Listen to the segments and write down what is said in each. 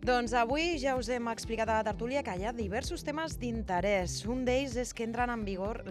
Doncs avui ja us hem explicat a la tertúlia que hi ha diversos temes d'interès. Un d'ells és que entren en vigor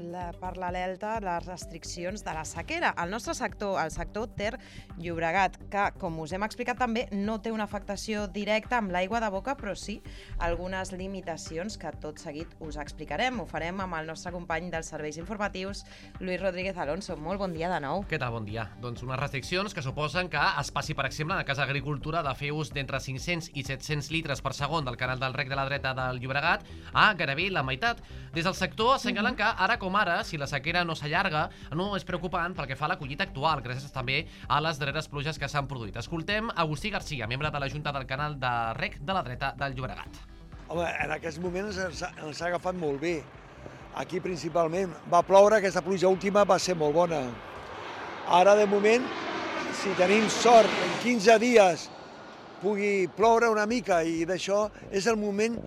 per l'Elta les restriccions de la sequera. El nostre sector, el sector Ter-Llobregat, que, com us hem explicat també, no té una afectació directa amb l'aigua de boca, però sí algunes limitacions que tot seguit us explicarem. Ho farem amb el nostre company dels serveis informatius, Lluís Rodríguez Alonso. Molt bon dia de nou. Què tal? Bon dia. Doncs unes restriccions que suposen que es passi, per exemple, en el cas d'agricultura, de fer ús d'entre 500 i 700 litres per segon del canal del rec de la dreta del Llobregat a gairebé la meitat. Des del sector assenyalen que ara com ara, si la sequera no s'allarga, no és preocupant pel que fa a la collita actual, gràcies també a les darreres pluges que s'han produït. Escoltem Agustí Garcia, membre de la Junta del canal de rec de la dreta del Llobregat. Home, en aquests moments ens ha agafat molt bé. Aquí principalment va ploure, aquesta pluja última va ser molt bona. Ara, de moment, si tenim sort, en 15 dies pugui ploure una mica i d'això és el moment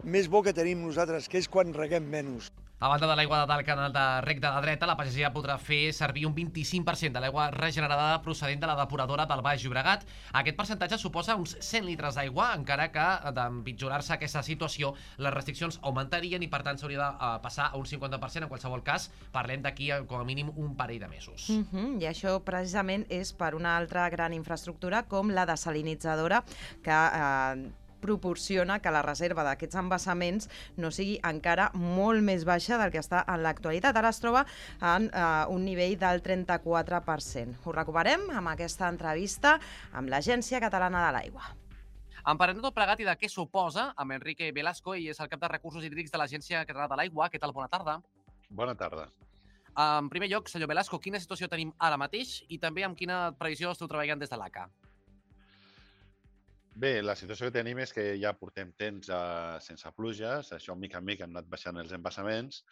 més bo que tenim nosaltres, que és quan reguem menys. A banda de l'aigua del canal de rec de la dreta, la pagesia podrà fer servir un 25% de l'aigua regenerada procedent de la depuradora del Baix Llobregat. Aquest percentatge suposa uns 100 litres d'aigua, encara que d'empitjorar-se aquesta situació, les restriccions augmentarien i per tant s'hauria de passar a un 50%. En qualsevol cas, parlem d'aquí com a mínim un parell de mesos. I això precisament és per una altra gran infraestructura com la desalinitzadora que proporciona que la reserva d'aquests embassaments no sigui encara molt més baixa del que està en l'actualitat. Ara es troba en un nivell del 34%. Ho recuperem amb aquesta entrevista amb l'Agència Catalana de l'Aigua. En parlem de tot plegat i de què suposa amb Enrique Velasco, ell és el cap de recursos hídrics de l'Agència Catalana de l'Aigua. Què tal? Bona tarda. Bona tarda. En primer lloc, senyor Velasco, quina situació tenim ara mateix i també amb quina previsió esteu treballant des de l'ACA? Bé, la situació que tenim és que ja portem temps sense pluges, això mica en mica han anat baixant els embassaments,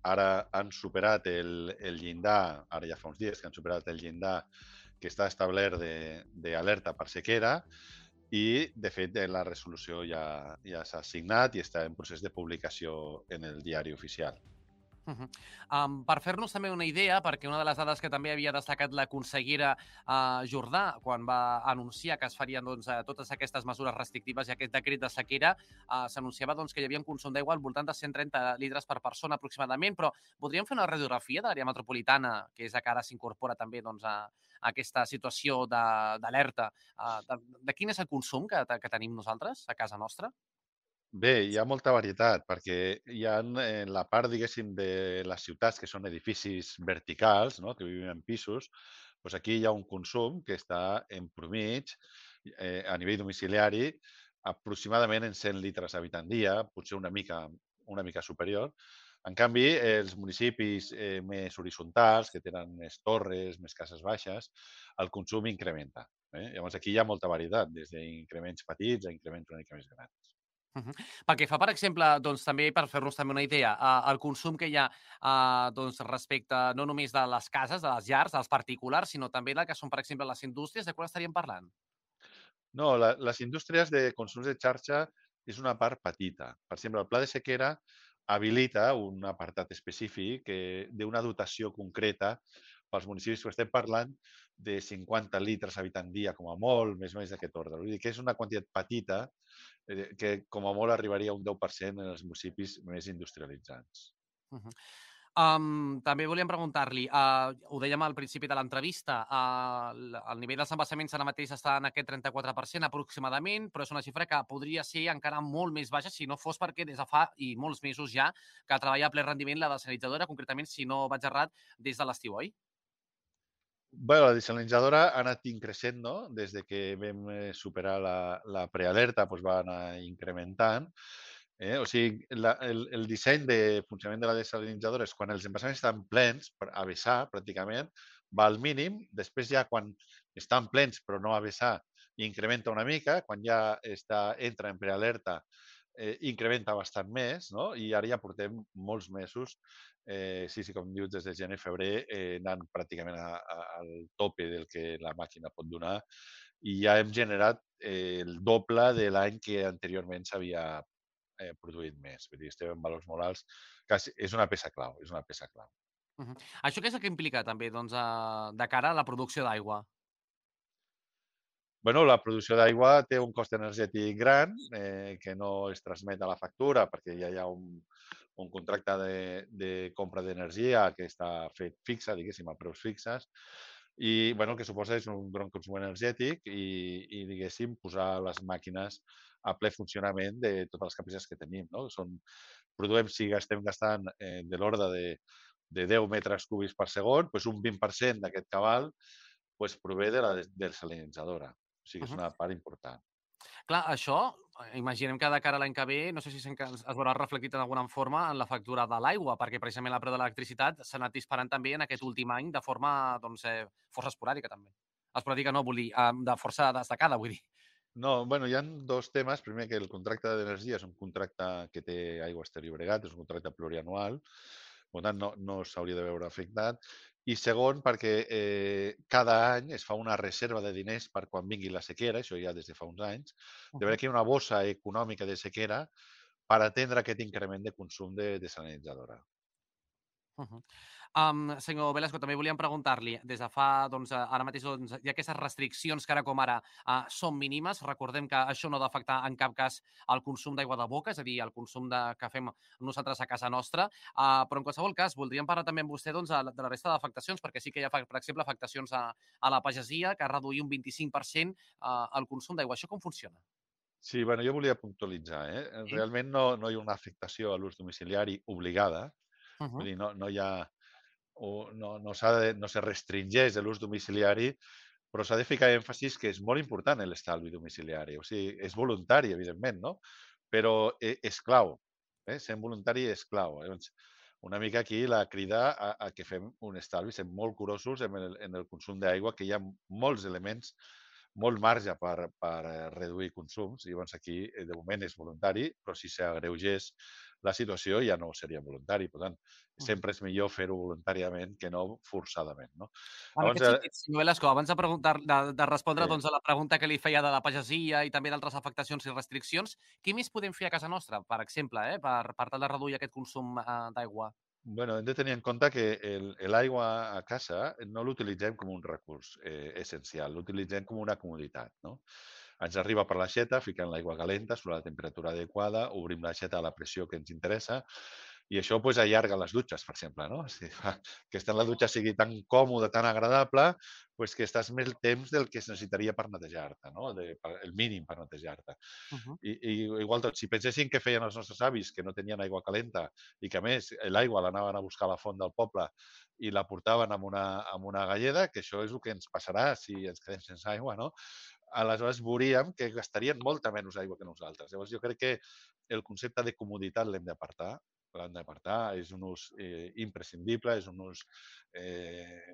ara han superat el llindar, ara ja fa uns dies que han superat el llindar que està establert d'alerta per sequera i, de fet, la resolució ja s'ha signat i està en procés de publicació en el diari oficial. Per fer-nos també una idea, perquè una de les dades que també havia destacat la consellera Jordà quan va anunciar que es farien totes aquestes mesures restrictives i aquest decret de sequera, s'anunciava que hi havia un consum d'aigua al voltant de 130 litres per persona aproximadament, però voldríem fer una radiografia de l'àrea metropolitana, que és la que ara s'incorpora també a aquesta situació d'alerta. De quin és el consum que tenim nosaltres a casa nostra? Bé, hi ha molta varietat, perquè hi ha la part, diguéssim, de les ciutats que són edificis verticals, no?, que vivim en pisos, doncs aquí hi ha un consum que està en promig, a nivell domiciliari, aproximadament en 100 litres habitant dia, potser una mica superior. En canvi, els municipis més horitzontals, que tenen més torres, més cases baixes, el consum incrementa. Llavors, aquí hi ha molta varietat, des d'increments petits a increments una mica més grans. Pel que fa, per exemple, també per fer-nos també una idea, el consum que hi ha respecte no només de les cases, de les llars, dels particulars, sinó també del que són, per exemple, les indústries, de quan estaríem parlant? No, les indústries de consums de xarxa és una part petita. Per exemple, el pla de sequera habilita un apartat específic d'una dotació concreta pels municipis que estem parlant de 50 litres habitant dia, com a molt, més o menys d'aquest ordre. Vull dir que és una quantitat petita que, com a molt, arribaria a un 10% en els municipis més industrialitzats. Uh -huh. També volíem preguntar-li, ho dèiem al principi de l'entrevista, el nivell dels embassaments ara mateix està en aquest 34% aproximadament, però és una xifra que podria ser encara molt més baixa si no fos perquè des de fa i molts mesos ja que treballa a ple rendiment la desalinitzadora, concretament, si no vaig errat, des de l'estiu, oi? Bé, la desalinitzadora ha anat increixent, no? Des de que vam superar la prealerta, doncs va anar incrementant. O sigui, el disseny de funcionament de la desalinitzadora és quan els embassaments estan plens, a vessar pràcticament, va al mínim, després ja quan estan plens però no a vessar, incrementa una mica, quan ja entra en prealerta incrementa bastant més, no? I ara ja portem molts mesos, sí, com dius, des de gener-febrer, anant pràcticament al tope del que la màquina pot donar i ja hem generat el doble de l'any que anteriorment s'havia produït més. Vull dir, estem en valors molt alts. És una peça clau, és una peça clau. Això què és el que implica també de cara a la producció d'aigua? Bueno, la producció d'aigua té un cost energètic gran que no es transmet a la factura perquè ja hi ha un contracte de compra d'energia que està fet fixa, diguéssim, a preus fixes, i bueno, el que suposa és un gran consum energètic diguéssim, posar les màquines a ple funcionament de totes les capacitats que tenim. No? Si estem gastant de l'ordre de 10 metres cúbics per segon, doncs un 20% d'aquest cabal prové de la desalinitzadora. O sigui, és Uh-huh. una part important. Clar, això, imaginem que de cara a l'any que ve, no sé si es veurà reflectit en alguna forma en la factura de l'aigua, perquè precisament el preu de l'electricitat s'ha anat disparant també en aquest últim any de forma força esporàdica també. Esporàdica no, vull dir, de força destacada, vull dir. No, bueno, hi ha dos temes. Primer, que el contracte d'energia és un contracte que té Aigües Ter Llobregat, és un contracte plurianual, per tant, no s'hauria de veure afectat. I segon, perquè cada any es fa una reserva de diners per quan vingui la sequera, això ja des de fa uns anys, de veure que hi ha una bossa econòmica de sequera per atendre aquest increment de consum de desalinitzadora. Uh-huh. Senyor Velasco, també volíem preguntar-li, des de fa, doncs, ara mateix hi ha aquestes restriccions que ara com ara són mínimes. Recordem que això no ha d'afectar en cap cas el consum d'aigua de boca, és a dir, el consum que fem nosaltres a casa nostra, però en qualsevol cas voldríem parlar també amb vostè doncs, de la resta d'afectacions, perquè sí que hi ha, per exemple, afectacions a la pagesia, que ha reduït un 25% el consum d'aigua. Això com funciona? Sí, bueno, jo volia puntualitzar. Sí. Realment no hi ha una afectació a l'ús domiciliari obligada, Uh-huh. vull dir, no hi ha no se restringeix l'ús domiciliari, però s'ha de ficar èmfasis que és molt important l'estalvi domiciliari. O sigui, és voluntari, evidentment, no? Però és clau. Sent voluntari és clau. Llavors, una mica aquí la crida a que fem un estalvi, sent molt curosos en el consum d'aigua, que hi ha molts elements, molt marge per reduir consums. I llavors aquí, de moment, és voluntari, però si s'agreugés la situació ja no seria voluntari. Per tant, Uh-huh. sempre és millor fer-ho voluntàriament que no forçadament. No? En Llavors, aquest sentit, senyor Velasco, abans de respondre sí. doncs, a la pregunta que li feia de la pagesia i també d'altres afectacions i restriccions, què més podem fer a casa nostra, per exemple, per tal de reduir aquest consum d'aigua? Bueno, hem de tenir en compte que l'aigua a casa no l'utilitzem com un recurs essencial, l'utilitzem com una comoditat. No? Ens arriba per l'aixeta, fiquem l'aigua calenta sobre la temperatura adequada, obrim l'aixeta a la pressió que ens interessa i això allarga les dutxes, per exemple. No? Si fa que estar en la dutxa sigui tan còmode, tan agradable, que estàs més temps del que es necessitaria per netejar-te, no? El mínim per netejar-te. Uh -huh. I igual tot, si pensessin que feien els nostres avis, que no tenien aigua calenta i que, a més, l'aigua l'anaven a buscar a la font del poble i la portaven amb una galleda, que això és el que ens passarà si ens quedem sense aigua, no? Aleshores veuríem que gastarien molta menys aigua que nosaltres. Llavors jo crec que el concepte de comoditat l'hem d'apartar, és un ús imprescindible, és un ús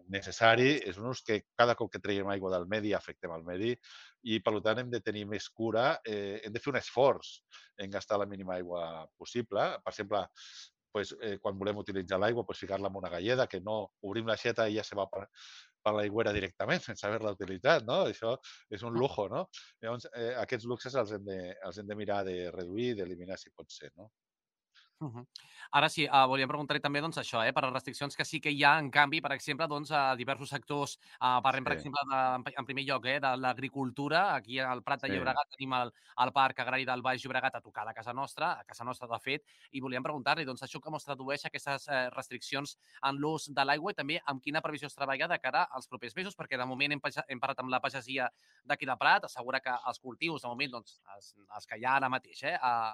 necessari, és un ús que cada cop que traiem aigua del medi afectem al medi i, per tant, hem de tenir més cura, hem de fer un esforç en gastar la mínima aigua possible. Per exemple, quan volem utilitzar l'aigua, ficar-la en una galleda, que no obrim l'aixeta i ja se va per l'aigüera directament sense haver-la utilitzat, no? Això és un lujo, no? Llavors, aquests luxes els hem de mirar de reduir, d'eliminar si pot ser, no? Uh-huh. Ara sí, volíem preguntar-li també doncs, això, per les restriccions que sí que hi ha, en canvi, per exemple, doncs, a diversos sectors. Parlem, per Sí, exemple, en primer lloc, de l'agricultura. Aquí al Prat de sí. Llobregat tenim el Parc Agrari del Baix Llobregat a tocar de casa nostra, de fet, i volíem preguntar-li doncs, això com es tradueix aquestes restriccions en l'ús de l'aigua i també amb quina previsió es treballa de cara als propers mesos, perquè de moment hem parlat amb la pagesia d'aquí de Prat, assegura que els cultius, de moment, doncs, els que hi ha ara mateix,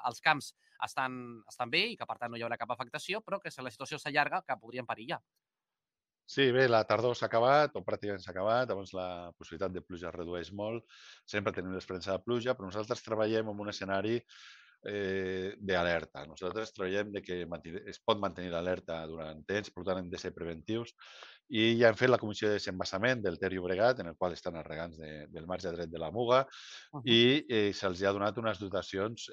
els camps estan bé i que, per tant, no hi haurà cap afectació, però que si la situació s'allarga, que podrien perillar. Sí, bé, la tardor s'ha acabat, o pràcticament s'ha acabat, llavors la possibilitat de pluja es redueix molt, sempre tenim l'esperança de pluja, però nosaltres treballem en un escenari d'alerta. Nosaltres treballem de que es pot mantenir l'alerta durant temps, per tant hem de ser preventius, i ja hem fet la comissió de desembassament del Ter Llobregat, en el qual estan els regants del marge dret de la Muga, Uh -huh. i se'ls ha donat unes dotacions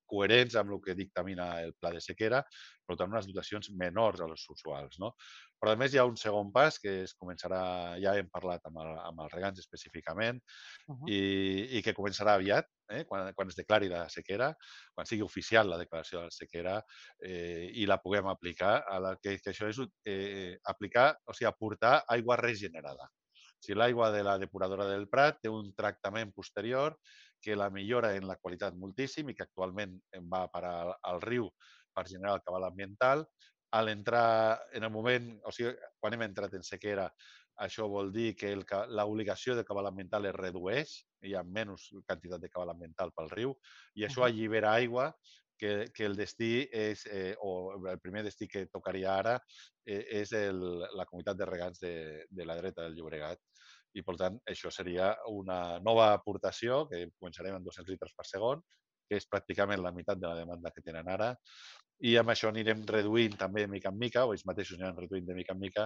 coherents amb el que dictamina el pla de sequera, per tant, unes dotacions menors a les usuals. No? Però, a més, hi ha un segon pas que es començarà, ja hem parlat amb els regants específicament, Uh -huh. i que començarà aviat, quan es declari la sequera, quan sigui oficial la declaració de la sequera i la puguem aplicar, que això és aplicar, o sigui, aportar aigua regenerada. O sigui, l'aigua de la depuradora del Prat té un tractament posterior que la millora en la qualitat moltíssim i que actualment va a parar al riu per generar el cabal ambiental. A l'entrar en el moment, o sigui, quan hem entrat en sequera, això vol dir que l'obligació de cabal ambiental es redueix, hi ha menys quantitat de cabal ambiental pel riu, i això allibera aigua que el destí és, o el primer destí que tocaria ara, és la comunitat de regants de la dreta del Llobregat. I, per tant, això seria una nova aportació, que començarem amb 200 litres per segon, que és pràcticament la meitat de la demanda que tenen ara, i amb això anirem reduint també de mica en mica, o ells mateixos aniran reduint de mica en mica,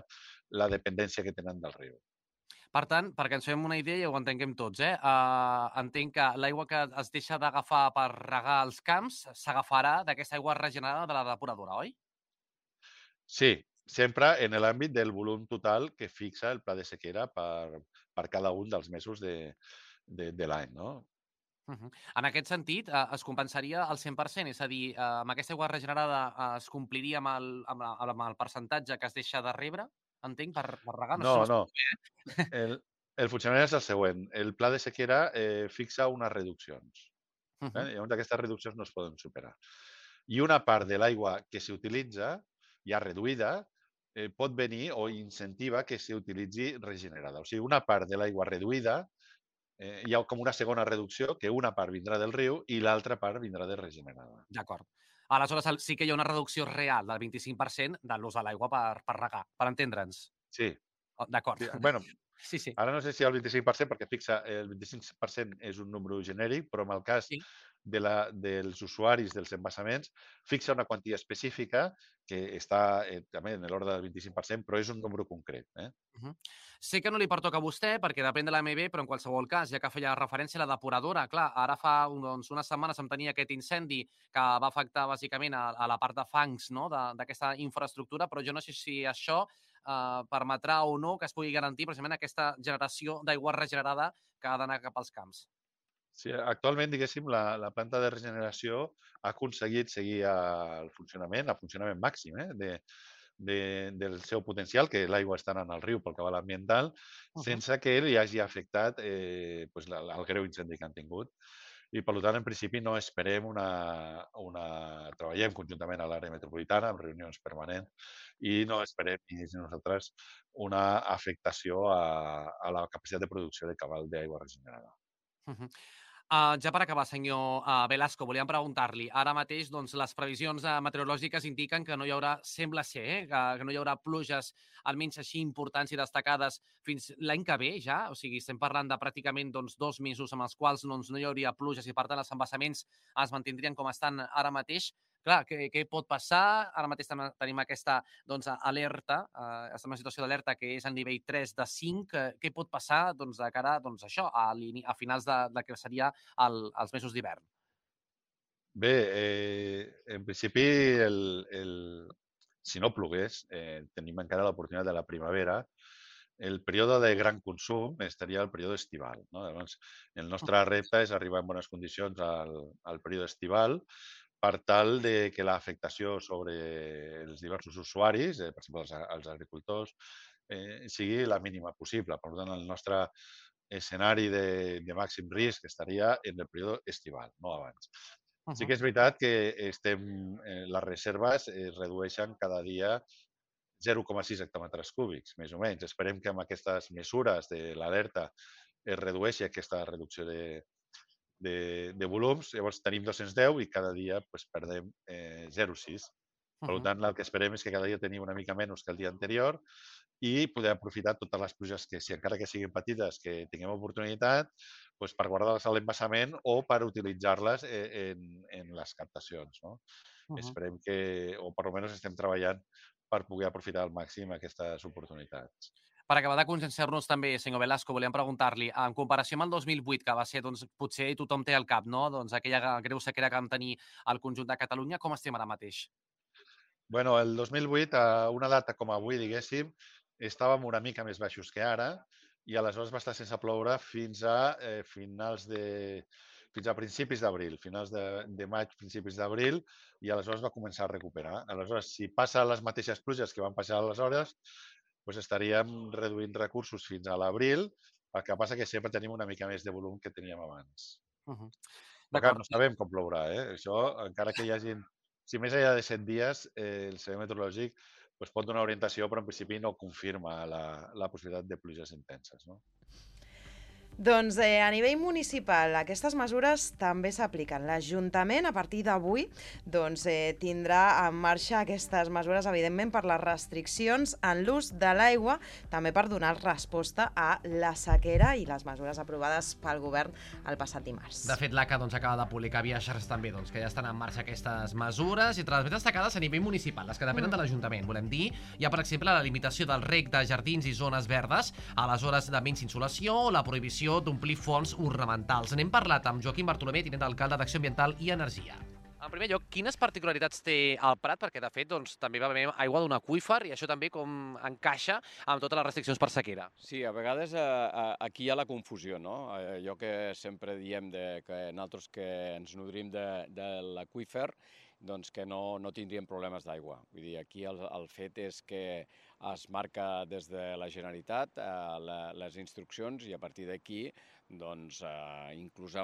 la dependència que tenen del riu. Per tant, perquè ens fem una idea i ho entenguem tots, entenc que l'aigua que es deixa d'agafar per regar els camps s'agafarà d'aquesta aigua regenerada de la depuradora, oi? Sí, sempre en l'àmbit del volum total que fixa el pla de sequera per cada un dels mesos de l'any, no? En aquest sentit, es compensaria al 100%, és a dir, amb aquesta aigua regenerada es compliria amb el percentatge que es deixa de rebre, entenc, per regar? No sé si No, no. m'explico bé. El funcionament és el següent. El pla de sequera fixa unes reduccions. Llavors, aquestes reduccions no es poden superar. I una part de l'aigua que s'utilitza, ja reduïda, pot venir o incentiva que s'utilitzi regenerada. O sigui, una part de l'aigua reduïda hi ha com una segona reducció, que una part vindrà del riu i l'altra part vindrà de regenerada. D'acord. Aleshores, sí que hi ha una reducció real del 25% de l'ús de l'aigua per regar, per entendre'ns. Sí. D'acord. Sí. Bueno, sí. Ara no sé si el 25%, perquè fixa el 25% és un número genèric, però en el cas dels usuaris dels embassaments fixa una quantia específica que està també en l'ordre del 25%, però és un número concret. Sé que no li pertoca a vostè perquè depèn de l'AMB, però en qualsevol cas, ja que feia referència a la depuradora, clar, ara fa unes setmanes em tenia aquest incendi que va afectar bàsicament a la part de fangs, no?, d'aquesta infraestructura, però jo no sé si això permetrà o no que es pugui garantir precisament aquesta generació d'aigua regenerada que ha d'anar cap als camps. Sí, actualment, diguéssim, la planta de regeneració ha aconseguit seguir el funcionament màxim del seu potencial, que l'aigua està anant al riu pel cabal ambiental, sense que li hagi afectat el greu incendi que han tingut. I, per tant, en principi no esperem treballem conjuntament a l'àrea metropolitana, amb reunions permanents, i no esperem ni nosaltres una afectació a la capacitat de producció de cabal d'aigua regenerada. Ja per acabar, senyor Velasco, volíem preguntar-li. Ara mateix doncs, les previsions meteorològiques indiquen que no hi haurà, sembla ser, que no hi haurà pluges almenys així importants i destacades fins l'any que ve ja. O sigui, estem parlant de pràcticament 2 mesos amb els quals no hi hauria pluges i, per tant, els embassaments es mantindrien com estan ara mateix. Clar, què pot passar? Ara mateix tenim aquesta alerta, estem en una situació d'alerta que és a nivell 3 de 5. Què pot passar de cara això, a finals de que seria els mesos d'hivern? Bé, en principi, si no plogués, tenim encara l'oportunitat de la primavera. El període de gran consum estaria el període estival. No? Llavors, el nostre repte és arribar en bones condicions al període estival per tal de que l'afectació sobre els diversos usuaris, per exemple, els agricultors, sigui la mínima possible. Per tant, el nostre escenari de màxim risc estaria en el període estival, no abans. Sí que és veritat que les reserves es redueixen cada dia 0,6 hectòmetres cúbics, més o menys. Esperem que amb aquestes mesures de l'alerta es redueixi aquesta reducció de volums. Llavors tenim 210 i cada dia perdem 0,6. Per tant, el que esperem és que cada dia tenim una mica menys que el dia anterior i poder aprofitar totes les pluges que, si encara que siguin petites, que tinguem oportunitat, per guardar-les a l'embassament o per utilitzar-les en les captacions. No? Esperem que, o per almenys estem treballant per poder aprofitar al màxim aquestes oportunitats. Per acabar de conscienciar-nos també, senyor Velasco, volíem preguntar-li, en comparació amb el 2008, que va ser, potser tothom té al cap, no?, aquella greu sequera que vam tenir al conjunt de Catalunya, com estem ara mateix? Bueno, el 2008, a una data com avui, diguéssim, estàvem una mica més baixos que ara i aleshores va estar sense ploure fins a principis d'abril, finals de maig, principis d'abril, i aleshores va començar a recuperar. Aleshores, si passa les mateixes pluges que van passar aleshores, doncs estaríem reduint recursos fins a l'abril, el que passa que sempre tenim una mica més de volum que teníem abans. Però clar, no sabem com plourà, Això, encara que hi hagi... Si més enllà de 100 dies, el Servei Meteorològic pot donar orientació, però en principi no confirma la possibilitat de pluges intenses, no? Doncs a nivell municipal aquestes mesures també s'apliquen. L'Ajuntament a partir d'avui tindrà en marxa aquestes mesures, evidentment per les restriccions en l'ús de l'aigua, també per donar resposta a la sequera i les mesures aprovades pel govern el passat dimarts. De fet, l'ACA acaba de publicar via xarxes també que ja estan en marxa aquestes mesures, i entre les més destacades a nivell municipal, les que depenen de l'Ajuntament, volem dir, hi ha per exemple la limitació del reg de jardins i zones verdes a les hores de menys insolació o la prohibició d'omplir fonts ornamentals. N'hem parlat amb Joaquim Bartolomé, tinent d'alcalde d'Acció Ambiental i Energia. En primer lloc, quines particularitats té el Prat? Perquè, de fet, també va haver aigua d'un aqüífer i això també com encaixa amb totes les restriccions per sequera. Sí, a vegades aquí hi ha la confusió, no? Allò que sempre diem que nosaltres que ens nodrim de l'aqüífer, doncs que no tindríem problemes d'aigua. Vull dir, aquí el fet és que es marca des de la Generalitat les instruccions i a partir d'aquí, doncs, inclús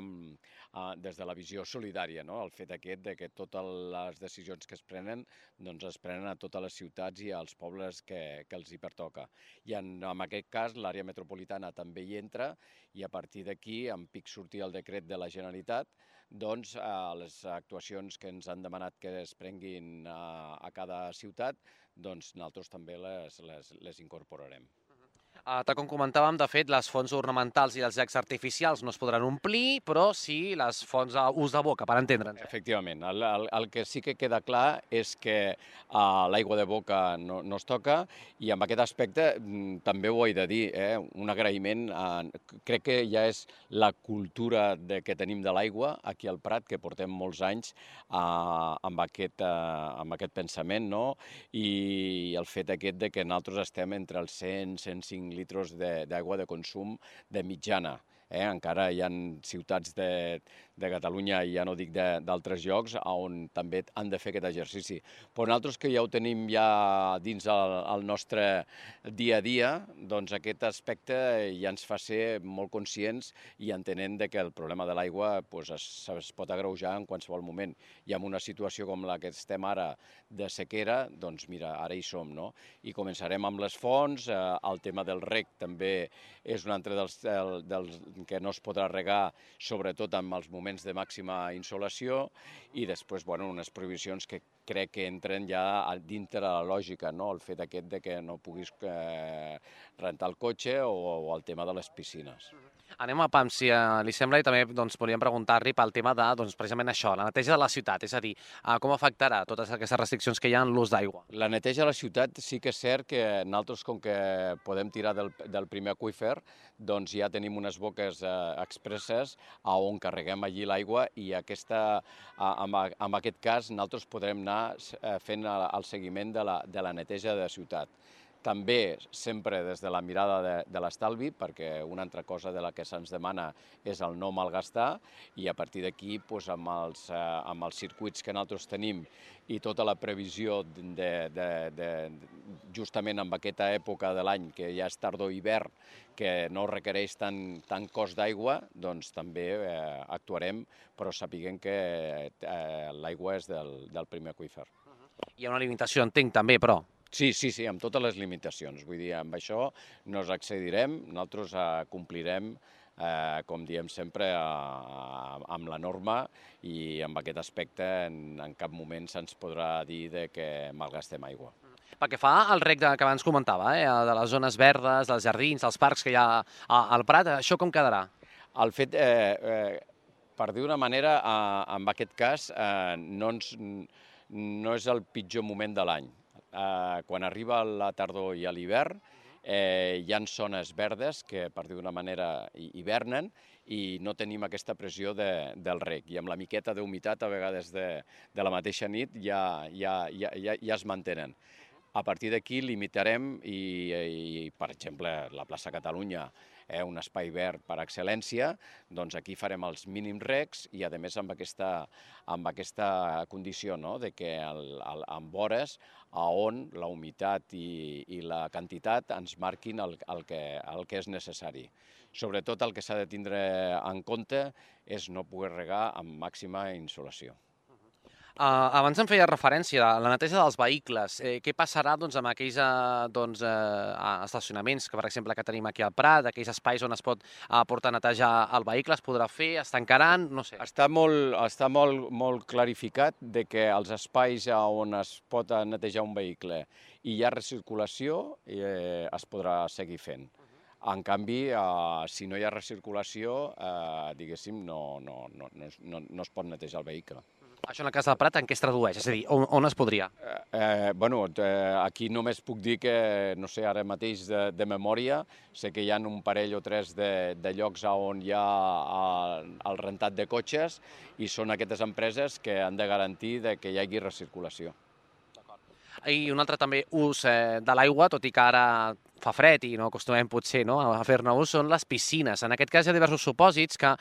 des de la visió solidària, no? El fet aquest de que totes les decisions que es prenen, doncs es prenen a totes les ciutats i als pobles que els hi pertoca. I en aquest cas l'àrea metropolitana també hi entra i a partir d'aquí, en pic sortir el decret de la Generalitat, doncs les actuacions que ens han demanat que es prenguin a cada ciutat, doncs nosaltres també les incorporarem. Tal com comentàvem, de fet, les fonts ornamentals i els llacs artificials no es podran omplir, però sí les fonts d'ús de boca, per entendre'ns. Efectivament. El que sí que queda clar és que l'aigua de boca no es toca i en aquest aspecte també ho he de dir, un agraïment. Crec que ja és la cultura que tenim de l'aigua aquí al Prat, que portem molts anys amb aquest pensament, no? I el fet aquest de que nosaltres estem entre els 100-105 litres d'aigua de consum de mitjana. Encara hi ha ciutats de Catalunya, i ja no dic d'altres llocs, on també han de fer aquest exercici. Però nosaltres que ja ho tenim ja dins el nostre dia a dia, doncs aquest aspecte ja ens fa ser molt conscients i entenent que el problema de l'aigua es pot agreujar en qualsevol moment. I en una situació com la que estem ara de sequera, doncs mira, ara hi som, no? I començarem amb les fonts, el tema del reg també és un altre dels que no es podrà regar, sobretot en els moments de màxima insolació, i després, unes prohibicions que crec que entren ja dintre la lògica, no? El fet aquest de que no puguis rentar el cotxe o el tema de les piscines. Anem a PAM, si li sembla, i també volíem preguntar-li pel tema de, precisament això, la neteja de la ciutat, és a dir, com afectarà totes aquestes restriccions que hi ha en l'ús d'aigua? La neteja de la ciutat sí que és cert que nosaltres, com que podem tirar del primer aqüífer, doncs ja tenim unes boques expresses on carreguem allí l'aigua i en aquest cas nosaltres podrem anar fent el seguiment de la neteja de la ciutat. També sempre des de la mirada de l'estalvi, perquè una altra cosa de la que se'ns demana és el no malgastar, i a partir d'aquí, amb els circuits que nosaltres tenim i tota la previsió justament en aquesta època de l'any, que ja és tardor-hivern, que no requereix tant cost d'aigua, doncs també actuarem, però sapiguem que l'aigua és del primer aqüífer. Hi ha una limitació, entenc, també, però... Sí, amb totes les limitacions. Vull dir, amb això no ens excedirem, nosaltres complirem, com diem sempre, amb la norma, i en aquest aspecte en cap moment se'ns podrà dir que malgastem aigua. Pel que fa al reg que abans comentava, de les zones verdes, dels jardins, dels parcs que hi ha al Prat, això com quedarà? El fet, per dir d'una manera, en aquest cas, no és el pitjor moment de l'any. Quan arriba la tardor i l'hivern, hi ha zones verdes que, per dir d'una manera, hivernen i no tenim aquesta pressió del reg. I amb la miqueta d'humitat, a vegades de la mateixa nit, ja es mantenen. A partir d'aquí limitarem i, per exemple, la plaça Catalunya, un espai verd per excel·lència, doncs aquí farem els mínims regs i, a més, amb aquesta condició, no?, de que en vores on la humitat i la quantitat ens marquin el que és necessari. Sobretot el que s'ha de tindre en compte és no poder regar amb màxima insolació. Abans em feia referència a la neteja dels vehicles. Què passarà amb aquells estacionaments que, per exemple, que tenim aquí al Prat, aquells espais on es pot portar a netejar el vehicle, es podrà fer, es tancaran, no sé. Està molt clarificat de que els espais on es pot netejar un vehicle i hi ha recirculació es podrà seguir fent. En canvi, si no hi ha recirculació, diguéssim, no es pot netejar el vehicle. Això en el cas del Prat en què es tradueix? És a dir, on es podria? Aquí només puc dir que, no sé, ara mateix de memòria, sé que hi ha un parell o tres de llocs on hi ha el rentat de cotxes i són aquestes empreses que han de garantir que hi hagi recirculació. I un altre també ús de l'aigua, tot i que ara fa fred i no acostumem potser a fer-ne ús, són les piscines. En aquest cas hi ha diversos supòsits que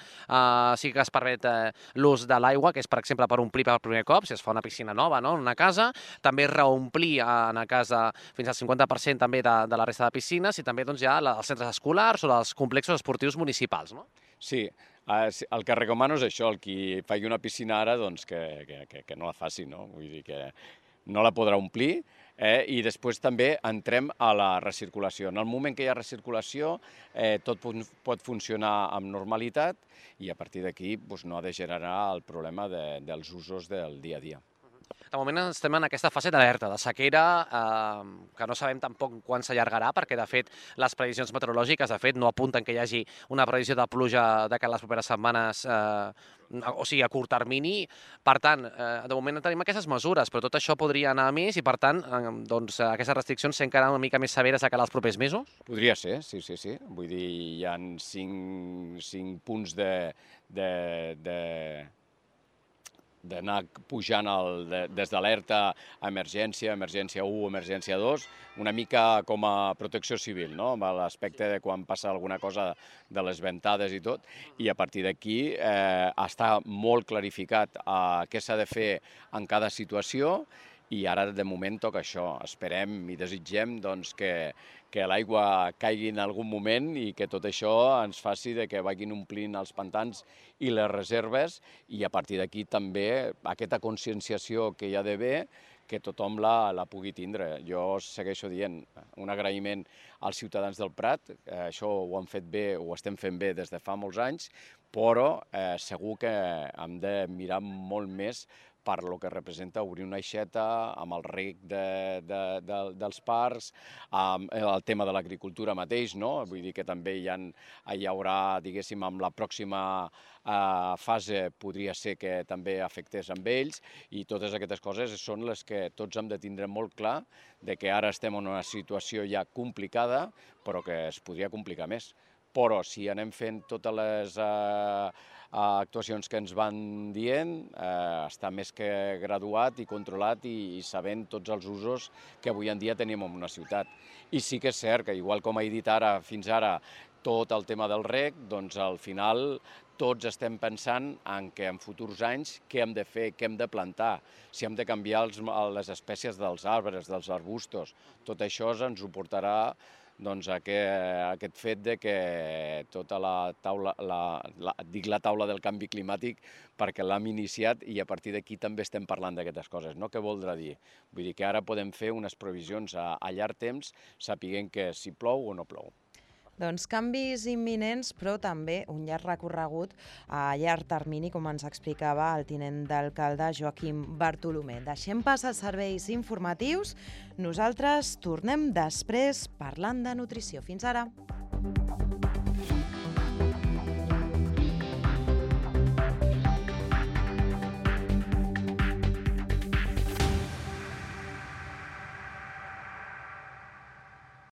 sí que es permet l'ús de l'aigua, que és, per exemple, per omplir per primer cop, si es fa una piscina nova en una casa, també reomplir en una casa fins al 50% també de la resta de piscines i també hi ha els centres escolars o els complexos esportius municipals, no? Sí, el que recomano és això, el qui faci una piscina ara, doncs que no la faci, no? Vull dir que no la podrà omplir, i després també entrem a la recirculació. En el moment que hi ha recirculació, tot pot funcionar amb normalitat i a partir d'aquí no ha de generar el problema dels usos del dia a dia. De moment estem en aquesta fase d'alerta, de sequera, que no sabem tampoc quan s'allargarà, perquè, de fet, les previsions meteorològiques, no apunten que hi hagi una previsió de pluja de les properes setmanes, o sigui, a curt termini. Per tant, de moment tenim aquestes mesures, però tot això podria anar a més i, per tant, aquestes restriccions ser encara una mica més severes de cara als propers mesos? Podria ser, sí. Vull dir, hi ha 5 punts d'anar pujant des d'alerta a emergència, emergència 1, emergència 2, una mica com a protecció civil, no?, amb l'aspecte de quan passa alguna cosa de les ventades i tot, i a partir d'aquí està molt clarificat què s'ha de fer en cada situació i ara de moment toca això. Esperem i desitgem que l'aigua caigui en algun moment i que tot això ens faci que vagin omplint els pantans i les reserves i a partir d'aquí també aquesta conscienciació que hi ha d'haver que tothom la pugui tindre. Jo segueixo dient un agraïment als ciutadans del Prat, això ho han fet bé, ho estem fent bé des de fa molts anys, però segur que hem de mirar molt més per lo que representa obrir una aixeta, amb el reg dels parcs, amb el tema de l'agricultura mateix, no? Vull dir que també hi haurà, diguéssim, amb la pròxima fase podria ser que també afectés amb ells i totes aquestes coses són les que tots hem de tindre molt clar de que ara estem en una situació ja complicada, però que es podria complicar més. Però si anem fent totes les actuacions que ens van dient, està més que graduat i controlat i sabent tots els usos que avui en dia tenim en una ciutat. I sí que és cert que, igual com he dit ara, fins ara, tot el tema del reg, doncs al final tots estem pensant en que en futurs anys què hem de fer, què hem de plantar, si hem de canviar les espècies dels arbres, dels arbustos. Tot això ens ho portarà aquest fet de que tota la taula del canvi climàtic perquè l'hem iniciat i a partir d'aquí també estem parlant d'aquestes coses. No? Què voldrà dir? Vull dir que ara podem fer unes previsions a llarg temps sapiguent que si plou o no plou. Doncs canvis imminents, però també un llarg recorregut a llarg termini, com ens explicava el tinent d'alcalde Joaquim Bartolomé. Deixem pas als serveis informatius. Nosaltres tornem després parlant de nutrició. Fins ara.